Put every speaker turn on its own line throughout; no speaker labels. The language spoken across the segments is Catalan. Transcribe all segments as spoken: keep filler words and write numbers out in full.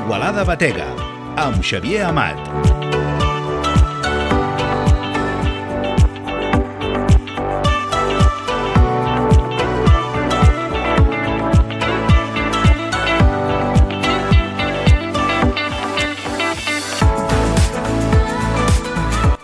L'Igualada Batega, amb Xavier Amat.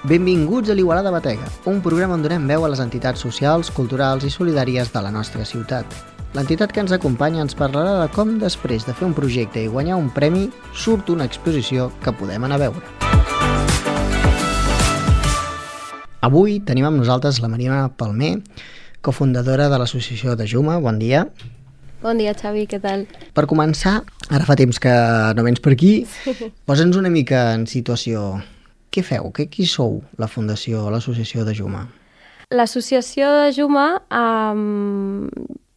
Benvinguts a l'Igualada Batega, un programa on donem veu a les entitats socials, culturals i solidàries de la nostra ciutat. L'entitat que ens acompanya ens parlarà de com després de fer un projecte i guanyar un premi surt una exposició que podem anar a veure. Avui tenim amb nosaltres la Mariona Palmer, cofundadora de l'associació de Juma. Bon dia.
Bon dia, Xavi, què tal?
Per començar, ara fa temps que no vens per aquí, posa'ns una mica en situació. Què feu? Què, qui sou la fundació, l'associació de Juma?
L'associació de Juma um,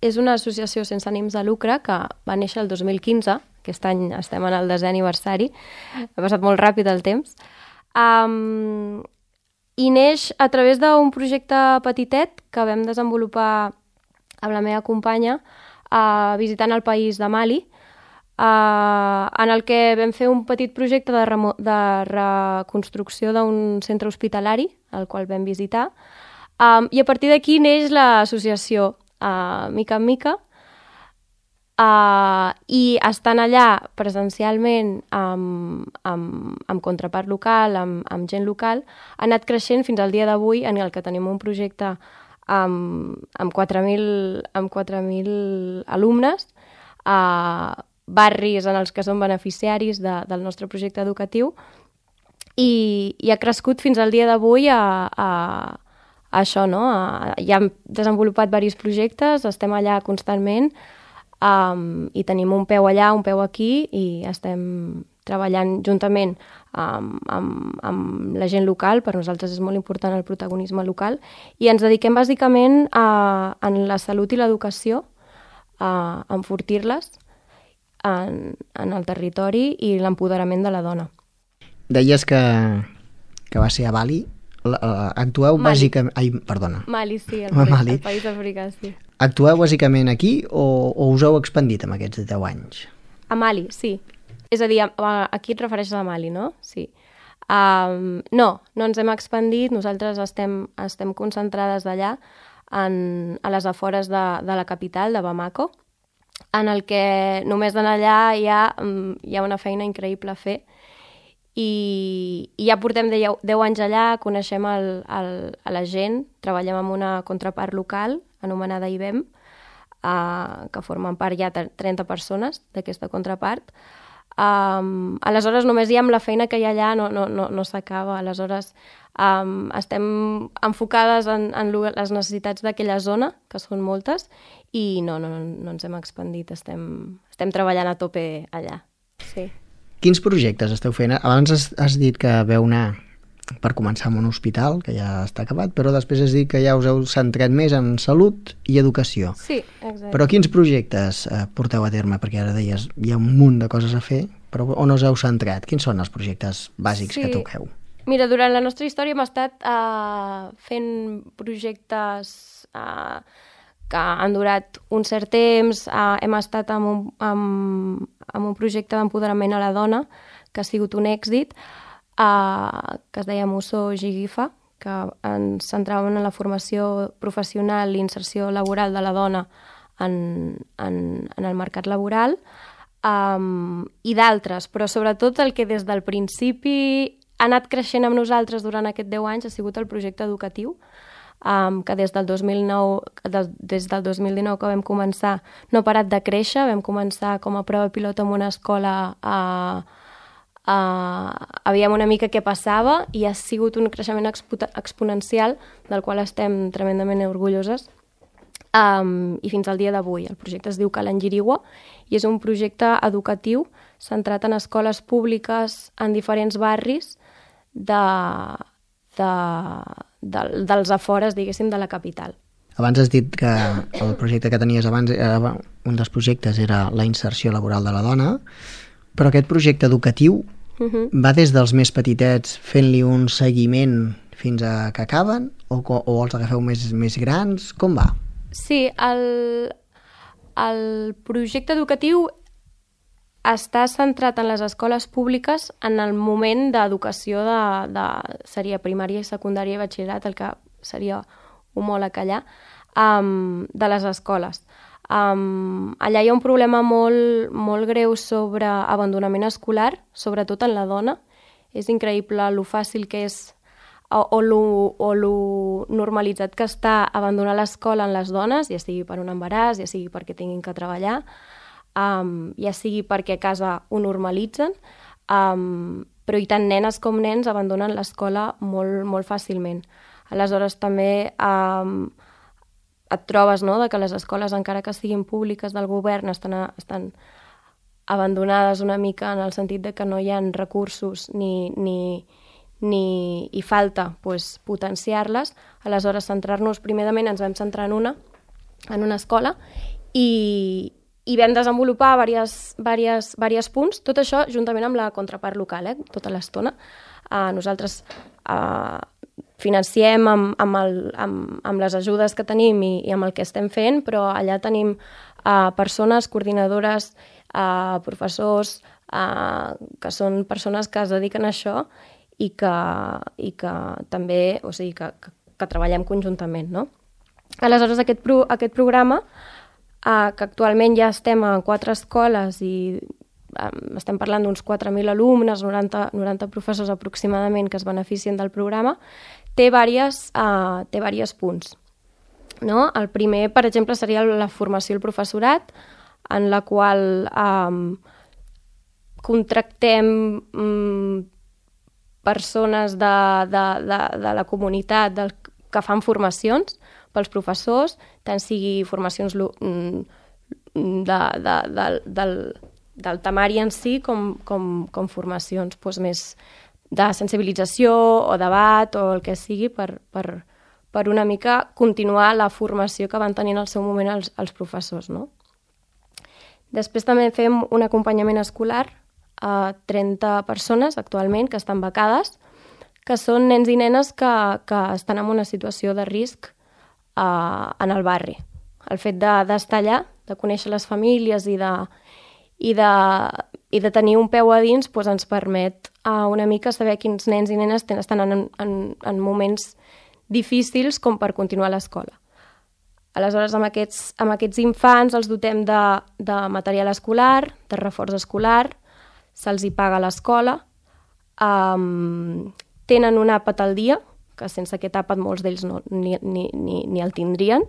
és una associació sense ànims de lucre que va néixer el dos mil quinze, aquest any estem en el desè aniversari, ha passat molt ràpid el temps, um, i neix a través d'un projecte petitet que vam desenvolupar amb la meva companya uh, visitant el país de Mali, Uh, en el que vam fer un petit projecte de, remo- de reconstrucció d'un centre hospitalari, el qual vam visitar, um, i a partir d'aquí neix l'associació uh, mica en mica, uh, i estant allà presencialment amb, amb, amb contrapart local, amb, amb gent local, ha anat creixent fins al dia d'avui en el que tenim un projecte amb, amb quatre mil amb quatre mil alumnes, uh, barris en els que són beneficiaris de, del nostre projecte educatiu i, i ha crescut fins al dia d'avui a, a, a això, no? A, ja hem desenvolupat diversos projectes, estem allà constantment um, i tenim un peu allà, un peu aquí i estem treballant juntament amb, amb, amb la gent local. Per nosaltres és molt important el protagonisme local i ens dediquem bàsicament a, a la salut i l'educació, a enfortir-les En, en el territori i l'empoderament de la dona.
Deies que, que va ser a Bali. Uh, actueu
Mali.
bàsicament... Ai, perdona.
Mali, sí, el,
Mali.
el país africà, sí.
Actueu bàsicament aquí o, o us heu expandit en aquests deu anys?
A Mali, sí. És a dir, a, a, aquí et refereixes a Mali, no? Sí. Um, no, no ens hem expandit. Nosaltres estem, estem concentrades d'allà en, a les afores de, de la capital, de Bamako, en el que només d'anar allà hi ha, hi ha una feina increïble a fer i, i ja portem deu anys allà, coneixem el, el, a la gent, treballem amb una contrapart local anomenada I B E M, uh, que formen part ja trenta persones d'aquesta contrapart. Um, aleshores només ja amb la feina que hi ha allà no, no, no, no s'acaba, aleshores um, estem enfocades en, en les necessitats d'aquella zona, que són moltes, i no, no, no ens hem expandit, estem, estem treballant a tope allà. Sí.
Quins projectes esteu fent? Abans has, has dit que veu anar per començar amb un hospital, que ja està acabat, però després has dit que ja us heu centrat més en salut i educació.
Sí, exacte.
Però quins projectes eh, porteu a terme? Perquè ara deies, hi ha un munt de coses a fer, però on us heu centrat? Quins són els projectes bàsics
sí.
que toqueu?
Mira, durant la nostra història hem estat uh, fent projectes uh, que han durat un cert temps. Uh, hem estat amb un, amb, amb un projecte d'empoderament a la dona que ha sigut un èxit, Uh, que es deia Muso Jigifa, que ens centràvem en la formació professional i inserció laboral de la dona en, en, en el mercat laboral, um, i d'altres, però sobretot el que des del principi ha anat creixent amb nosaltres durant aquests deu anys ha sigut el projecte educatiu, um, que des del dos mil nou, des, des del dos mil dinou que vam començar no ha parat de créixer. Vam començar com a prova pilot en una escola a uh, Uh, aviam una mica què passava i ha sigut un creixement expo- exponencial del qual estem tremendament orgulloses, um, i fins al dia d'avui. El projecte es diu Kalangiriwa i és un projecte educatiu centrat en escoles públiques en diferents barris de, de, de, dels afores, diguéssim, de la capital.
Abans has dit que el projecte que tenies abans, era, un dels projectes era la inserció laboral de la dona, però aquest projecte educatiu uh-huh. va des dels més petitets fent-li un seguiment fins a que acaben o, o els agafeu més, més grans? Com va?
Sí, el, el projecte educatiu està centrat en les escoles públiques en el moment d'educació de, de, seria primària i secundària i batxillerat, el que seria homòleg allà, um, de les escoles. Um, allà hi ha un problema molt, molt greu sobre abandonament escolar, sobretot en la dona. És increïble lo fàcil que és o, o, lo, o lo normalitzat que està abandonar l'escola en les dones, ja sigui per un embaràs, ja sigui perquè tinguin que treballar, um, ja sigui perquè a casa ho normalitzen, um, però i tant nenes com nens abandonen l'escola molt, molt fàcilment. Aleshores també um, et trobes, no?, de que les escoles, encara que siguin públiques del govern, estan, a, estan abandonades una mica en el sentit de que no hi ha recursos ni, ni, ni hi falta pues, potenciar-les. Aleshores, centrar-nos, primerament ens vam centrar en una, en una escola, i, i vam desenvolupar diversos, diversos, diversos punts, tot això juntament amb la contrapart local, eh, tota l'estona. Uh, nosaltres uh, financiem amb, amb, el, amb, amb les ajudes que tenim i, i amb el que estem fent, però allà tenim uh, persones, coordinadores, uh, professors, uh, que són persones que es dediquen a això i que, i que també, o sigui, que, que, que treballem conjuntament, no? Aleshores, aquest, pro, aquest programa, uh, que actualment ja estem a quatre escoles i um, estem parlant d'uns quatre mil alumnes, noranta, noranta professors aproximadament que es beneficien del programa, té diversos uh, té diversos punts. No? El primer, per exemple, seria la formació al professorat, en la qual um, contractem um, persones de, de, de, de la comunitat del, que fan formacions pels professors, tant sigui formacions de, de, de, del, del, del temari en si com, com, com formacions doncs, més de sensibilització o debat o el que sigui per, per, per una mica continuar la formació que van tenir en el seu moment els, els professors, no? Després també fem un acompanyament escolar a trenta persones actualment que estan becades, que són nens i nenes que, que estan en una situació de risc uh, en el barri. El fet d'estar allà, de conèixer les famílies i de, i de, i de tenir un peu a dins doncs ens permet uh, una mica saber quins nens i nenes ten, estan en, en, en moments difícils com per continuar a l'escola. Aleshores, amb aquests, amb aquests infants els dotem de, de material escolar, de reforç escolar, se'ls hi paga a l'escola, um, tenen un àpat al dia, que sense aquest àpat molts d'ells no, ni, ni, ni, ni el tindrien,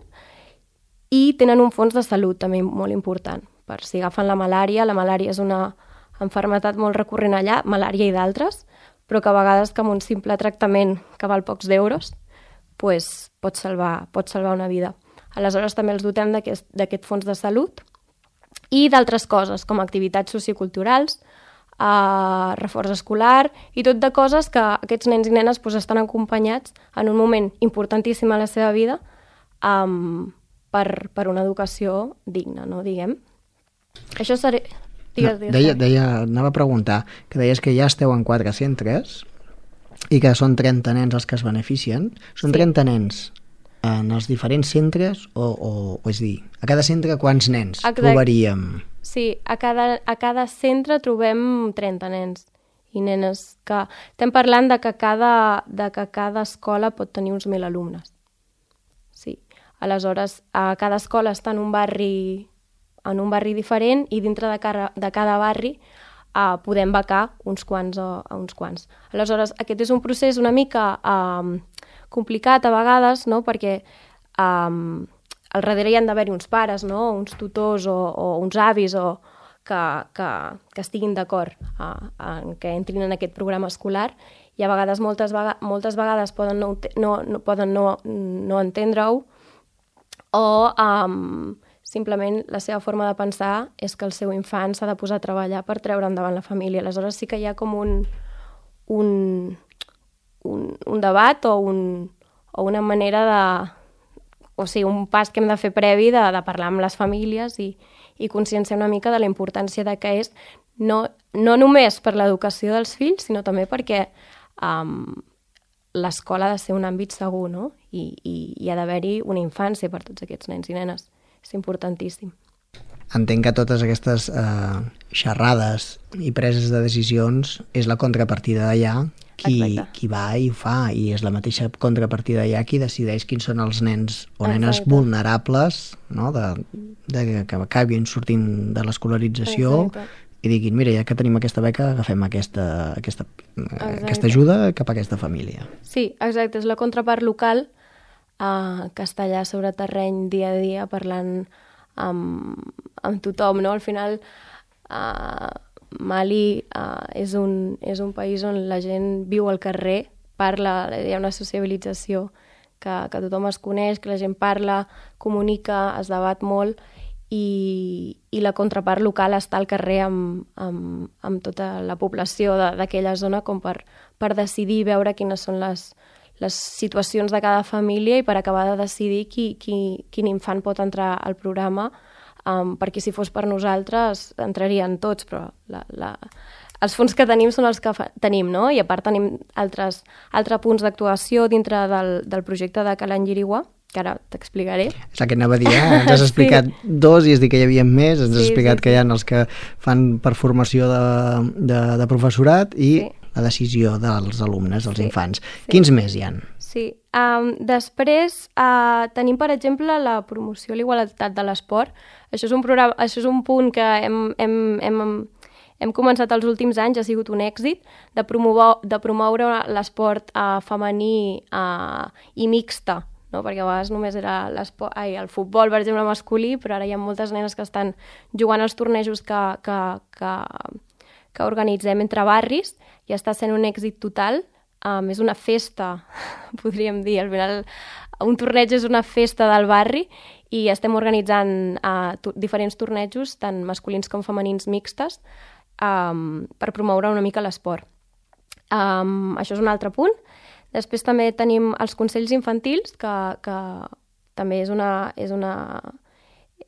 i tenen un fons de salut també molt important, per si agafen la malària. La malària és una malaltia molt recurrent allà, malària i d'altres, però que a vegades que amb un simple tractament que val pocs d'euros pues, pot, salvar, pot salvar una vida. Aleshores també els dotem d'aquest fons de salut i d'altres coses, com activitats socioculturals, eh, reforç escolar i tot de coses que aquests nens i nenes pues, estan acompanyats en un moment importantíssim a la seva vida um, per, per una educació digna, no, diguem. Això seria... Digues, digues,
no, deia, deia, anava a preguntar, que deies que ja esteu en quatre centres i que són trenta nens els que es beneficien. Són sí. trenta nens en els diferents centres o, o, o és dir, a cada centre quants nens Exacte. trobaríem?
Sí, a cada, a cada centre trobem trenta nens i nenes que... Estem parlant de que cada, de que cada escola pot tenir uns mil alumnes. Sí. Aleshores, a cada escola està en un barri, en un barri diferent i dintre de cada, de cada barri uh, podem becar uns quants a, a uns quants. Aleshores, aquest és un procés una mica... Uh, complicat a vegades, no? Perquè um, al darrere hi han d'haver-hi uns pares, no? Uns tutors o, o uns avis o que, que, que estiguin d'acord uh, en que entrin en aquest programa escolar i a vegades, moltes, vega moltes vegades poden no, no, no, poden no, no entendre-ho o um, simplement la seva forma de pensar és que el seu infant s'ha de posar a treballar per treure endavant la família. Aleshores sí que hi ha com un... un Un, un debat o, un, o una manera de... O sigui, un pas que hem de fer previ de, de parlar amb les famílies i, i conscienciar una mica de la importància de que és no, no només per l'educació dels fills, sinó també perquè um, l'escola ha de ser un àmbit segur, no? I, i, i ha d'haver-hi una infància per tots aquests nens i nenes. És importantíssim.
entenc que totes aquestes eh, xerrades i preses de decisions és la contrapartida d'allà qui, qui va i ho fa, i és la mateixa contrapartida d'allà qui decideix quins són els nens o nenes
Exacte.
vulnerables, no? de, de que acabin sortint de l'escolarització. Exacte. I diguin, mira, ja que tenim aquesta beca, agafem aquesta, aquesta, aquesta ajuda cap a aquesta família.
Sí, exacte, és la contrapart local eh, que està allà sobre terreny dia a dia parlant amb, amb tothom, no? Al final, eh, Mali eh, és, un, és un país on la gent viu al carrer, parla, hi ha una sociabilització que, que tothom es coneix, que la gent parla, comunica, es debat molt, i, i la contrapart local està al carrer amb, amb, amb tota la població d'aquella zona com per, per decidir, veure quines són les, les situacions de cada família i per acabar de decidir qui, qui, quin infant pot entrar al programa, um, perquè si fos per nosaltres entrarien tots, però la, la, els fons que tenim són els que fa, tenim, no? I a part tenim altres, altres punts d'actuació dintre del, del projecte de Calan Yirigua, que ara t'explicaré.
És el que anava a dir, eh? Ens has explicat sí. dos i has dit que hi havia més, ens has sí, explicat sí, que hi ha els que fan per formació de, de, de professorat i sí. la decisió dels alumnes, dels sí. infants. Sí. Quins més hi ha?
Sí. Um, després uh, tenim, per exemple, la promoció a la igualtat de l'esport. Això és un programa, això és un punt que hem, hem, hem, hem començat els últims anys, ha sigut un èxit, de promoure, de promoure l'esport uh, femení uh, i mixta, no? Perquè a vegades només era ai, el futbol, per exemple, masculí, però ara hi ha moltes nenes que estan jugant als tornejos que, que, que, que organitzem entre barris i està sent un èxit total. Um, és una festa, podríem dir. Al final, un torneig és una festa del barri i estem organitzant uh, to- diferents tornejos, tant masculins com femenins mixtes, um, per promoure una mica l'esport. Um, això és un altre punt. Després també tenim els consells infantils, que, que també és una, és una,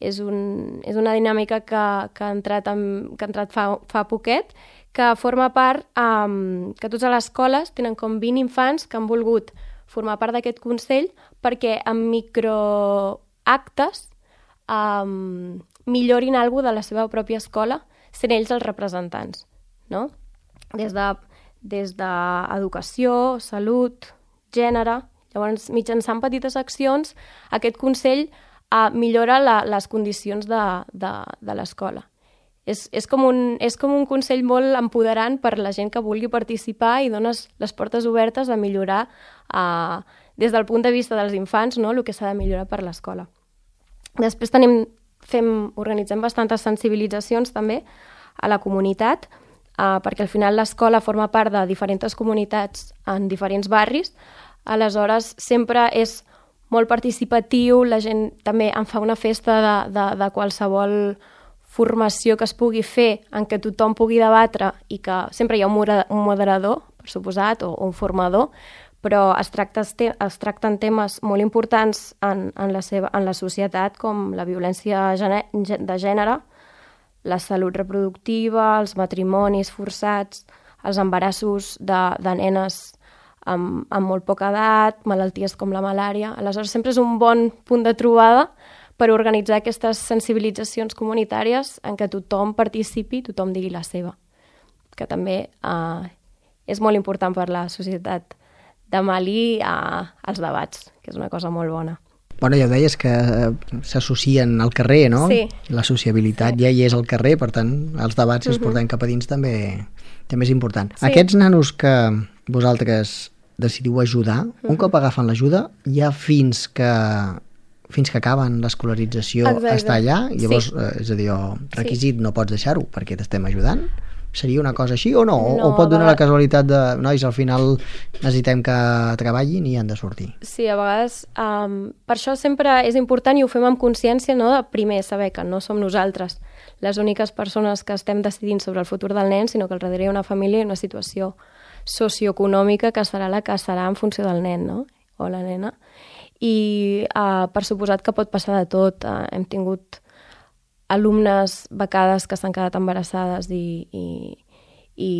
és un, és una dinàmica que, que ha entrat, amb, que ha entrat fa, fa poquet, que forma part, um, que totes les escoles tenen com vint infants que han volgut formar part d'aquest consell perquè amb microactes um, millorin alguna de la seva pròpia escola, sent ells els representants, no? Des de des d'educació, salut, gènere. Llavors, mitjançant petites accions, aquest Consell eh, millora la, les condicions de, de, de l'escola. És, és, com un, és com un Consell molt empoderant per la gent que vulgui participar i dones les portes obertes a millorar eh, des del punt de vista dels infants, no?, el que s'ha de millorar per l'escola. Després tenim, fem, organitzem bastantes sensibilitzacions també a la comunitat, Uh, perquè al final l'escola forma part de diferents comunitats en diferents barris, aleshores sempre és molt participatiu, la gent també en fa una festa de, de, de qualsevol formació que es pugui fer en què tothom pugui debatre i que sempre hi ha un moderador, per suposat, o, o un formador, però es, tracta, es tracten temes molt importants en, en, la seva, en la societat, com la violència de gènere, la salut reproductiva, els matrimonis forçats, els embarassos de, de nenes amb, amb molt poca edat, malalties com la malària. Aleshores, sempre és un bon punt de trobada per organitzar aquestes sensibilitzacions comunitàries en què tothom participi, tothom digui la seva, que també eh, és molt important per la societat de Mali eh, als debats, que és una cosa molt bona.
Bueno, ja ho deies que s'associen al carrer, no?
Sí.
La sociabilitat sí. ja hi és al carrer, per tant, els debats, si els portem cap a dins, també, també és important. Sí. Aquests nanos que vosaltres decidiu ajudar, un cop agafen l'ajuda, ja fins que fins que acaben l'escolarització està allà, llavors, sí. eh, és a dir, requisit sí. no pots deixar-ho perquè t'estem ajudant? Seria una cosa així o no? no o pot donar vegades... la casualitat de, nois, al final necessitem que treballin i han de sortir?
Sí, a vegades, um, per això sempre és important i ho fem amb consciència, no?, de primer saber que no som nosaltres les úniques persones que estem decidint sobre el futur del nen, sinó que al darrere hi ha una família i una situació socioeconòmica que serà la que serà en funció del nen, no?, o la nena. I uh, per suposat que pot passar de tot. Uh, hem tingut alumnes becades que s'han quedat embarassades i, i, i,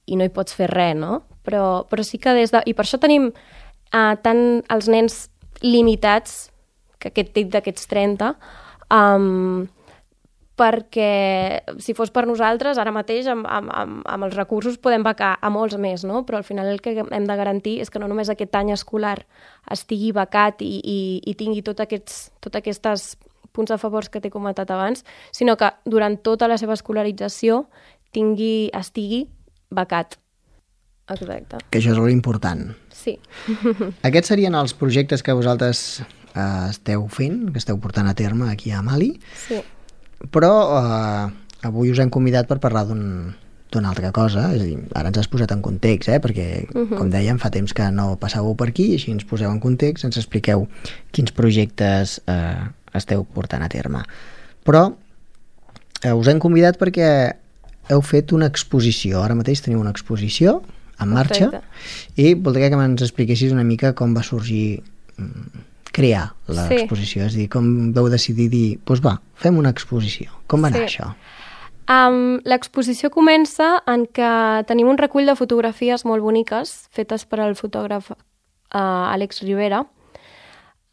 i no hi pots fer res, no? Però, però sí que des de... I per això tenim uh, tant els nens limitats, que aquest tip d'aquests trenta, um, perquè si fos per nosaltres, ara mateix amb, amb, amb, amb els recursos podem becar a molts més, no? Però al final el que hem de garantir és que no només aquest any escolar estigui becat i, i, i tingui tots aquests, tots aquests punts a favors que t'he comentat abans, sinó que durant tota la seva escolarització tingui, estigui becat. Exacte.
Que això és molt important.
Sí.
Aquests serien els projectes que vosaltres eh, esteu fent, que esteu portant a terme aquí a Mali.
Sí.
Però eh, avui us hem convidat per parlar d'un d'una altra cosa, és a dir, ara ens has posat en context, eh? Perquè, uh-huh. com dèiem, fa temps que no passàveu per aquí, així ens poseu en context, ens expliqueu quins projectes eh, esteu portant a terme. Però eh, us hem convidat perquè heu fet una exposició, ara mateix teniu una exposició en marxa. Perfecte. I voldria que ens expliquessis una mica com va sorgir crear l'exposició, sí. És a dir, com vau decidir dir, doncs va, fem una exposició. Com va anar sí. això?
Um, l'exposició comença en que tenim un recull de fotografies molt boniques fetes per al fotògraf uh, Àlex Rivera.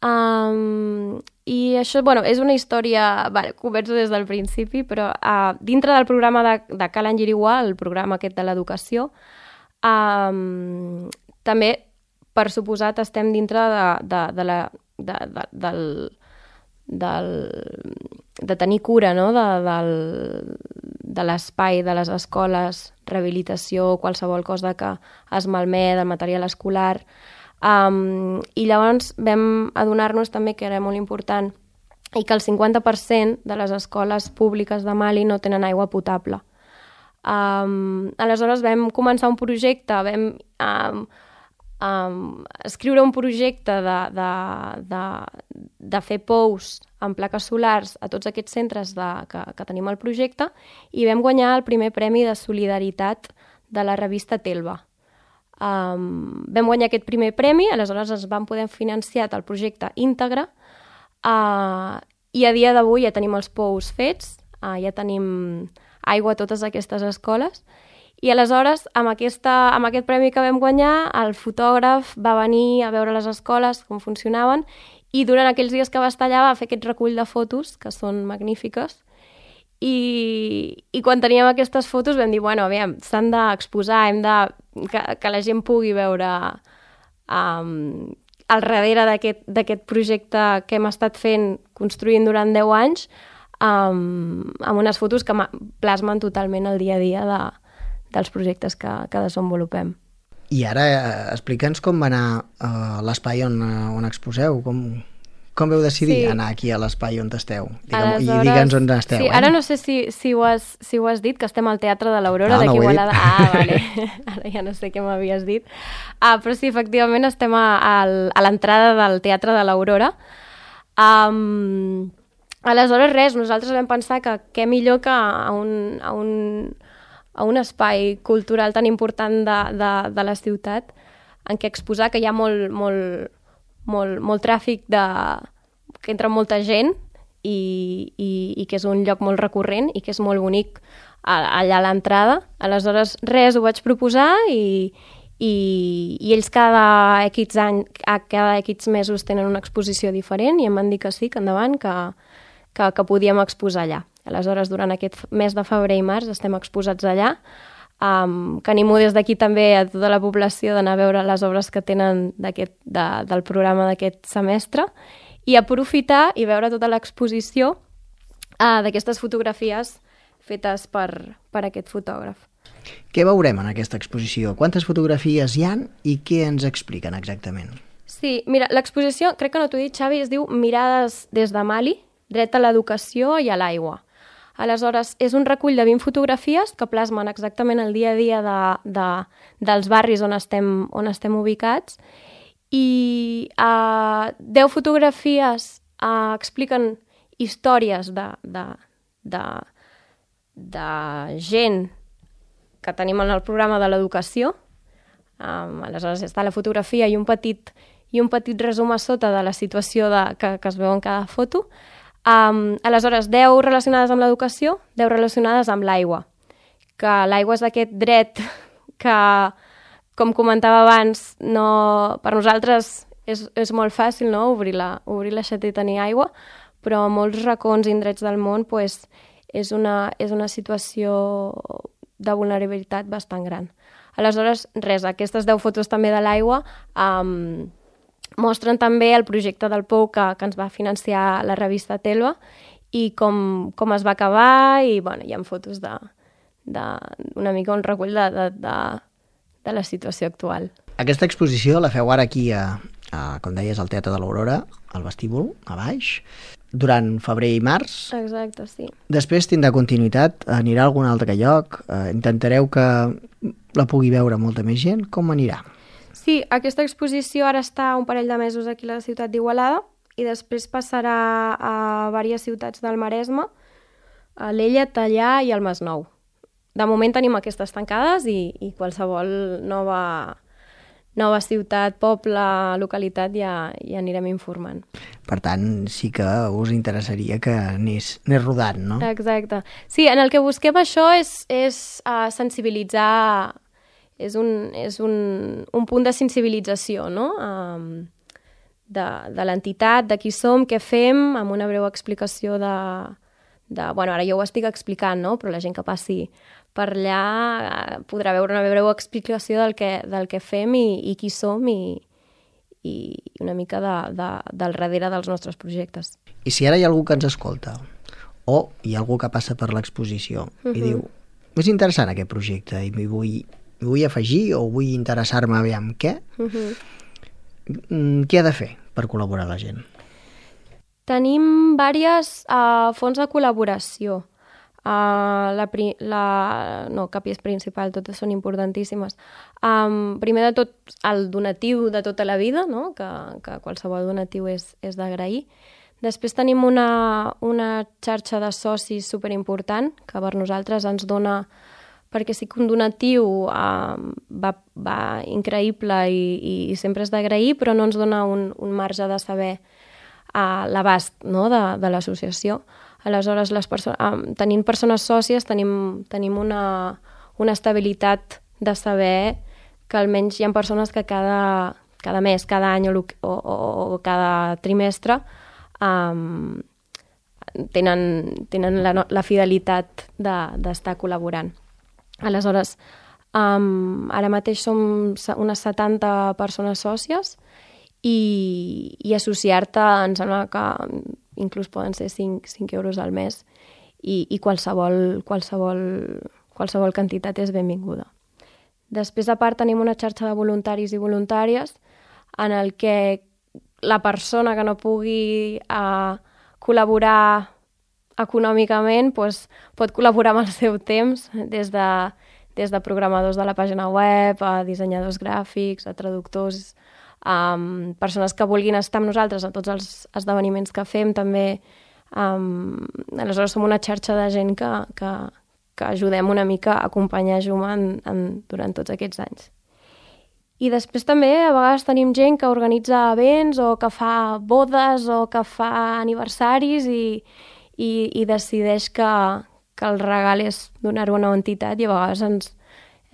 Um, I això, bueno, és una història, vale, començo des del principi, però uh, dintre del programa de, de Calan Yiriguà, el programa aquest de l'educació, um, també, per suposat, estem dintre de, de, de la... De, de, del, del, de tenir cura, no? de, del, de l'espai, de les escoles, rehabilitació, qualsevol cosa que es malmet, del material escolar. Um, I llavors vam adonar-nos també que era molt important i que el cinquanta per cent de les escoles públiques de Mali no tenen aigua potable. Um, aleshores vam començar un projecte, vam... Um, Um, escriure un projecte de, de, de, de fer pous amb plaques solars a tots aquests centres de, que, que tenim al projecte i vam guanyar el primer premi de solidaritat de la revista Telva. Um, vam guanyar aquest primer premi, aleshores ens vam poder financiar el projecte íntegre uh, i a dia d'avui ja tenim els pous fets, uh, ja tenim aigua a totes aquestes escoles. I aleshores, amb, aquesta, amb aquest premi que vam guanyar, el fotògraf va venir a veure les escoles, com funcionaven, i durant aquells dies que va estar allà va fer aquest recull de fotos, que són magnífiques, i, i quan teníem aquestes fotos vam dir, bueno, aviam, s'han d'exposar, hem de... Que, que la gent pugui veure um, al darrere d'aquest projecte que hem estat fent, construint durant deu anys, um, amb unes fotos que plasmen totalment el dia a dia de dels projectes que, que desenvolupem.
I ara eh, explica'ns com va anar eh, l'espai on, on exposeu, com, com veu decidir sí. anar aquí a l'espai on esteu? Digue'm, I digue'ns on esteu.
Sí,
eh?
Ara no sé si, si, ho has, si ho has dit, que estem al Teatre de l'Aurora, no, d'aquí no Igualada. Ah, vale. Ara ja no sé què m'havies dit. Ah, però sí, efectivament estem a, a, a l'entrada del Teatre de l'Aurora. Um, aleshores, res, nosaltres vam pensar que què millor que a un... A un a un espai cultural tan important de, de, de la ciutat en què exposar que hi ha molt, molt, molt, molt tràfic de... que entra molta gent i, i, i que és un lloc molt recurrent i que és molt bonic allà a l'entrada. Aleshores, res, ho vaig proposar i, i, i ells cada X any, cada X mesos tenen una exposició diferent i em van dir que sí, que endavant, que, que, que podíem exposar allà. Aleshores, durant aquest mes de febrer i març estem exposats allà, um, que animo des d'aquí també a tota la població d'anar a veure les obres que tenen de, del programa d'aquest semestre i aprofitar i veure tota l'exposició uh, d'aquestes fotografies fetes per, per aquest fotògraf.
Què veurem en aquesta exposició? Quantes fotografies hi han i què ens expliquen exactament?
Sí, mira, l'exposició, crec que no t'ho he dit, Xavi, es diu Mirades des de Mali, dret a l'educació i a l'aigua. Aleshores, és un recull de vint fotografies que plasmen exactament el dia a dia de, de, dels barris on estem, on estem ubicats i uh, deu fotografies uh, expliquen històries de, de, de, de gent que tenim en el programa de l'educació. Um, aleshores, està la fotografia i un petit, i un petit resum a sota de la situació de, que, que es veu en cada foto. Um, aleshores, deu relacionades amb l'educació, deu relacionades amb l'aigua, que l'aigua és aquest dret que, com comentava abans, no, per nosaltres és, és molt fàcil, no? obrir, la, obrir l'aixeta i tenir aigua, però a molts racons i indrets del món pues, és una, és una situació de vulnerabilitat bastant gran. Aleshores, res, aquestes deu fotos també de l'aigua um, mostren també el projecte del Pou que, que ens va financiar la revista Telva i com, com es va acabar, i bueno, hi ha fotos de, de una mica un recull de, de, de, de la situació actual.
Aquesta exposició la feu ara aquí, a, a, com deies, al Teatre de l'Aurora, al vestíbul, a baix, durant febrer i març.
Exacte, sí.
Després tindrà continuïtat, anirà a algun altre lloc, eh, intentareu que la pugui veure molta més gent. Com anirà?
Sí, aquesta exposició ara està un parell de mesos aquí a la ciutat d'Igualada i després passarà a diverses ciutats del Maresme, a Alella, Tallà i al Masnou. De moment tenim aquestes tancades i, i qualsevol nova, nova ciutat, poble, localitat ja, ja anirem informant.
Per tant, sí que us interessaria que anés, anés rodant, no?
Exacte. Sí, en el que busquem això és, és uh, sensibilitzar, és, un, és un, un punt de sensibilització, no? Um, de, de l'entitat, de qui som, què fem, amb una breu explicació de, de... Bueno, ara jo ho estic explicant, no? Però la gent que passi per allà podrà veure una breu explicació del que, del que fem i, i qui som i, i una mica de, de, del darrere dels nostres projectes.
I si ara hi ha algú que ens escolta o hi ha algú que passa per l'exposició uh-huh. i diu, és interessant aquest projecte i m'hi vull, vull afegir o vull interessar-me a veure amb què, uh-huh. què ha de fer per col·laborar la gent?
Tenim diverses uh, fonts de col·laboració. Uh, la, la, no, cap és principal, totes són importantíssimes. Um, primer de tot, el donatiu de tota la vida, no? que, que qualsevol donatiu és, és d'agrair. Després tenim una, una xarxa de socis superimportant, que per nosaltres ens dona, perquè sí que un donatiu uh, va, va increïble i, i sempre és d'agrair, però no ens dona un, un marge de saber uh, l'abast, no? de, de l'associació. Aleshores, les perso- um, tenint persones sòcies, tenim, tenim una, una estabilitat de saber que almenys hi ha persones que cada, cada mes, cada any o, o, o cada trimestre um, tenen, tenen la, la fidelitat de, d'estar col·laborant. Aleshores, um, ara mateix som unes setanta persones sòcies i, i associar-te em sembla que inclús poden ser cinc euros al mes i, i qualsevol, qualsevol, qualsevol quantitat és benvinguda. Després, a part, tenim una xarxa de voluntaris i voluntàries en el que la persona que no pugui uh, col·laborar econòmicament doncs, pot col·laborar amb el seu temps, des de, des de programadors de la pàgina web, a dissenyadors gràfics, a traductors, Um, persones que vulguin estar amb nosaltres a tots els esdeveniments que fem també. Um, aleshores som una xarxa de gent que, que, que ajudem una mica a acompanyar Juma en, en, durant tots aquests anys. I després també a vegades tenim gent que organitza events o que fa bodes o que fa aniversaris i, i, i decideix que, que el regal és donar-ho a una entitat i a vegades ens,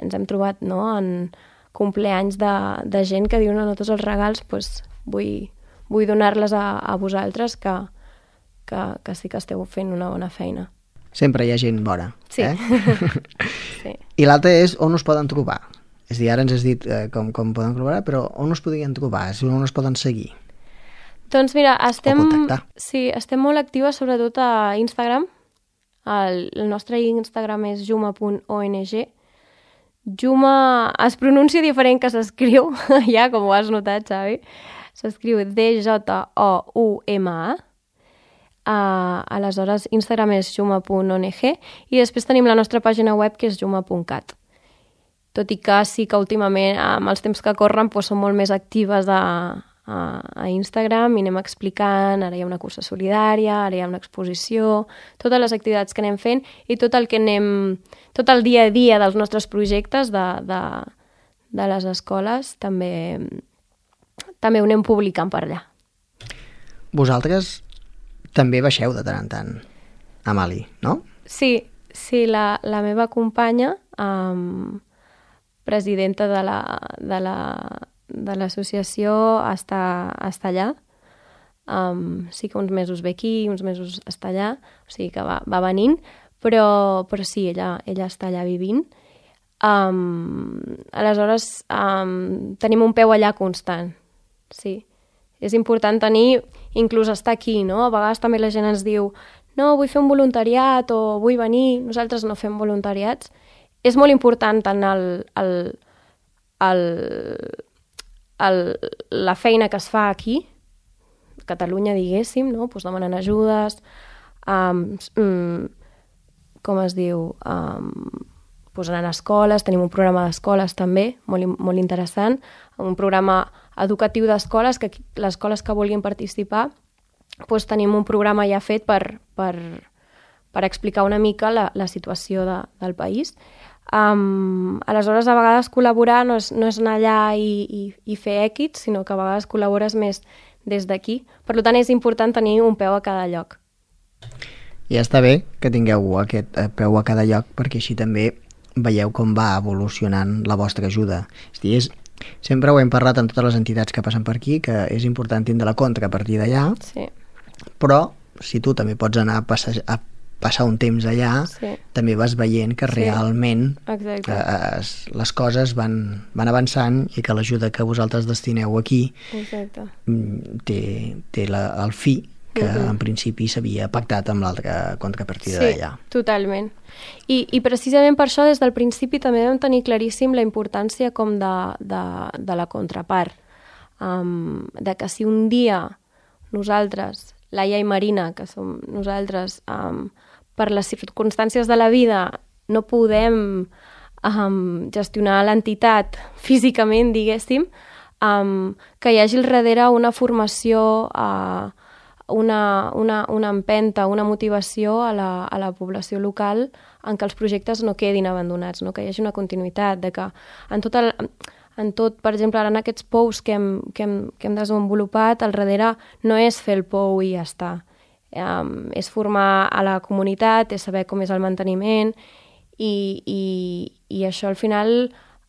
ens hem trobat, no?, en compleanys de, de gent que diuen no, tots els regals doncs, vull, vull donar-les a, a vosaltres que, que, que sí que esteu fent una bona feina.
Sempre hi ha gent bona.
Sí.
Eh?
Sí.
I l'altre és on us poden trobar. És a dir, ara ens has dit eh, com, com poden col·laborar, però on us podrien trobar? On us poden seguir?
Doncs mira, estem,
o contactar.
Sí, estem molt actives sobretot a Instagram. El, el nostre Instagram és juma punt o n g. Juma es pronuncia diferent que s'escriu, ja, com ho has notat, Xavi. S'escriu D J O U M A. Uh, aleshores, Instagram és juma punt o n g i després tenim la nostra pàgina web que és juma punt cat. Tot i que sí que últimament, amb els temps que corren, doncs, són molt més actives a, a, a Instagram i anem explicant, ara hi ha una cursa solidària, ara hi ha una exposició, totes les activitats que anem fent i tot el que anem, tot el dia a dia dels nostres projectes de, de, de les escoles també, també ho anem publicant per allà.
Vosaltres també baixeu de tant en tant a Mali, no?
Sí, sí, la, la meva companya, um, presidenta de la, de la, de l'associació, està, està allà. Um, sí que uns mesos ve aquí, uns mesos està allà, o sigui que va, va venint, però, però sí, ella, ella està allà vivint. Um, aleshores, um, tenim un peu allà constant, sí. És important tenir, inclús estar aquí, no? A vegades també la gent ens diu no, vull fer un voluntariat o vull venir, nosaltres no fem voluntariats. És molt important tant el, el, el, el, la feina que es fa aquí, a Catalunya, diguéssim, no? Pues demanen ajudes, um, um, com es diu, um, pues anant a escoles, tenim un programa d'escoles també, molt, molt interessant, un programa educatiu d'escoles, que les escoles que vulguin participar, doncs tenim un programa ja fet per, per, per explicar una mica la, la situació de, del país. Um, aleshores, a vegades col·laborar no és, no és anar allà i, i, i fer èquits, sinó que a vegades col·labores més des d'aquí. Per tant, és important tenir un peu a cada lloc.
I està bé que tingueu aquest peu a cada lloc, perquè així també veieu com va evolucionant la vostra ajuda. És dir, és, sempre ho hem parlat amb totes les entitats que passen per aquí, que és important tindre la contrapartida allà,
sí.
Però si tu també pots anar a passar, a passar un temps allà, sí. també vas veient que sí. realment que es, les coses van, van avançant i que l'ajuda que vosaltres destineu aquí Exacte. té, té la, el fi que uh-huh. en principi s'havia pactat amb l'altra contrapartida
sí,
d'allà.
Totalment. I, I precisament per això des del principi també vam tenir claríssim la importància com de, de, de la contrapart. Um, de que si un dia nosaltres, Laia i Marina, que som nosaltres, um, per les circumstàncies de la vida no podem um, gestionar l'entitat físicament, diguéssim, um, que hi hagi al darrere una formació, uh, una, una, una empenta, una motivació a la, a la població local en què els projectes no quedin abandonats, no? Que hi hagi una continuïtat, de que en tot el... En tot, per exemple, ara en aquests pous que hem, que hem, que hem desenvolupat, al darrere no és fer el pou i ja està. Um, és formar a la comunitat, és saber com és el manteniment i, i, i això al final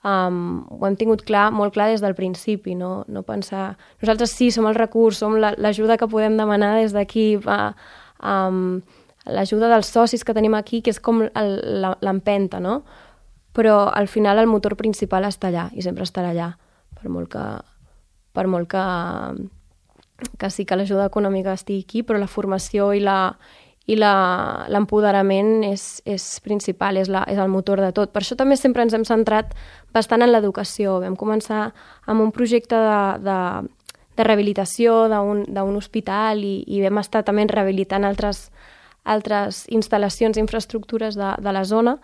um, ho hem tingut clar, molt clar des del principi, no, no pensar... Nosaltres sí, som el recurs, som l'ajuda que podem demanar des d'aquí, uh, um, l'ajuda dels socis que tenim aquí, que és com l'empenta, no? Però al final el motor principal està allà i sempre estarà allà, per molt que, per molt que, que sí que l'ajuda econòmica estigui aquí, però la formació i la i l'empoderament és, és principal, és, la, és el motor de tot. Per això també sempre ens hem centrat bastant en l'educació. Vam començar amb un projecte de, de, de rehabilitació d'un hospital i, i vam estar també rehabilitant altres, altres instal·lacions i infraestructures de, de la zona,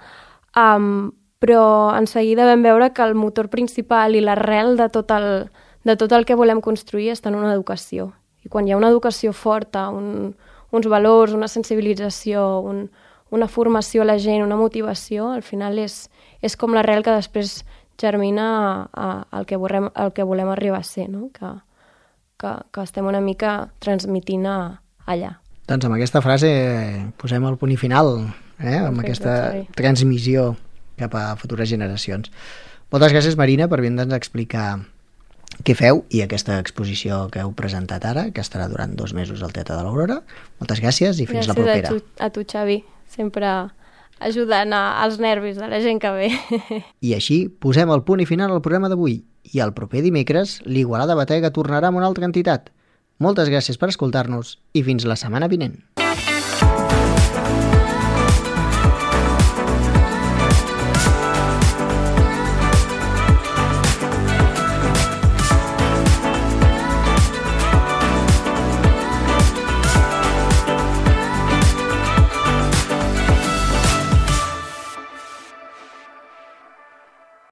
um, però en seguida vam veure que el motor principal i l'arrel de, tot el, de tot el que volem construir està en una educació. I quan hi ha una educació forta, un, uns valors, una sensibilització, un, una formació a la gent, una motivació, al final és, és com l'arrel que després germina al que, volem, al que volem arribar a ser, no? que, que, que estem una mica transmitint a, allà.
Doncs amb aquesta frase posem el punt i final, eh? amb aquesta transmissió cap a futures generacions. Moltes gràcies, Marina, per vindre'ns a explicar què feu i aquesta exposició que heu presentat ara, que estarà durant dos mesos al Teatre de l'Aurora. Moltes gràcies i fins
gràcies
la propera.
Gràcies a, a tu, Xavi, sempre ajudant als nervis de la gent que ve.
I així posem el punt i final al programa d'avui. I el proper dimecres, l'Igualada Batega tornarà amb una altra entitat. Moltes gràcies per escoltar-nos i fins la setmana vinent.